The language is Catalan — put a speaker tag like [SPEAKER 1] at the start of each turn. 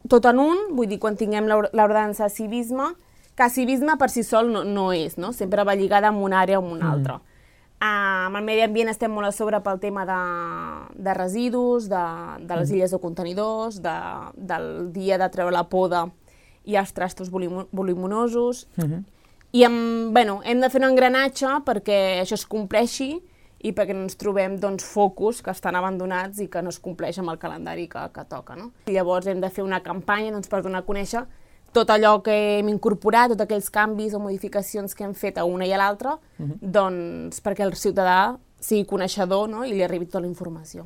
[SPEAKER 1] tot en un, vull dir, quan tinguem l'ordenança de civisme, que civisme per si sol no és, no? Sempre va lligada amb una àrea o amb una altra. Amb el medi ambient estem molt a sobre pel tema de residus, de les illes de contenidors, del dia de treure la poda i els trastos voluminosos. I hem de fer un engranatge perquè això es compleixi i perquè no ens trobem focus que estan abandonats i que no es compleix amb el calendari que toca. No? I llavors hem de fer una campanya per donar a conèixer tot allò que hem incorporat, tots aquells canvis o modificacions que hem fet a una i a l'altra, perquè el ciutadà sigui coneixedor, no? I li arribi tota la informació.